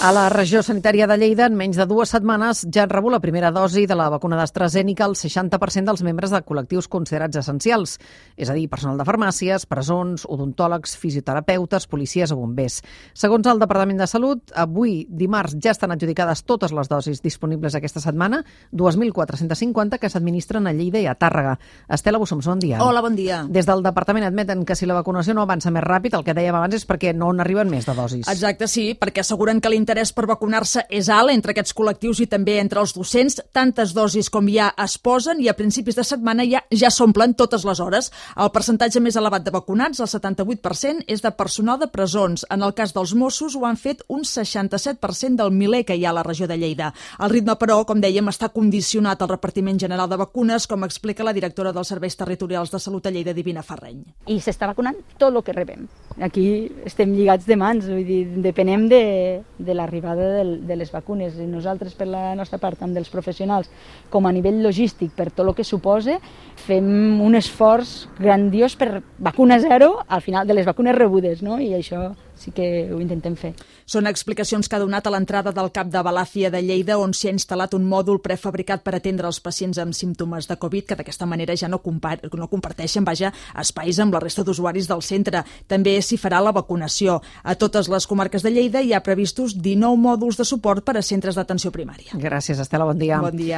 A la regió sanitària de Lleida, en menys de 2 setmanes, ja han rebut la primera dosi de la vacuna d'AstraZeneca el 60% dels membres de col·lectius considerats essencials, és a dir, personal de farmàcies, presons, odontòlegs, fisioterapeutes, policies o bombers. Segons el Departament de Salut, avui, dimarts, ja estan adjudicades totes les dosis disponibles aquesta setmana, 2.450 que s'administren a Lleida i a Tàrrega. Estela Bussoms, bon dia. Hola, bon dia. Des del Departament admeten que si la vacunació no avança més ràpid, el que dèiem abans és perquè no n'arriben més de dosis. Exacte, sí, perquè asseguren que l'interès per vacunar-se és alt entre aquests col·lectius i també entre els docents. Tantes dosis com ja es posen i a principis de setmana ja s'omplen totes les hores. El percentatge més elevat de vacunats, el 78%, és de personal de presons. En el cas dels Mossos ho han fet un 67% del miler que hi ha a la regió de Lleida. El ritme, però, com dèiem, està condicionat al repartiment general de vacunes, com explica la directora dels Serveis Territorials de Salut a Lleida, Divina Ferreny. I s'està vacunant tot el que rebem. Aquí estem lligats de mans, vull dir, depenem de l'arribada de les vacunes. I nosaltres, per la nostra part, amb dels professionals, com a nivell logístic, per tot el que suposa, fem un esforç grandiós per vacuna zero al final de les vacunes rebudes, no? I això sí que ho intentem fer. Són explicacions que ha donat a l'entrada del CAP de Balàfia de Lleida, on s'hi ha instal·lat un mòdul prefabricat per atendre els pacients amb símptomes de Covid, que d'aquesta manera ja no comparteixen espais amb la resta d'usuaris del centre. També s'hi farà la vacunació. A totes les comarques de Lleida hi ha previstos 19 mòduls de suport per a centres d'atenció primària. Gràcies, Estela, bon dia. Bon dia.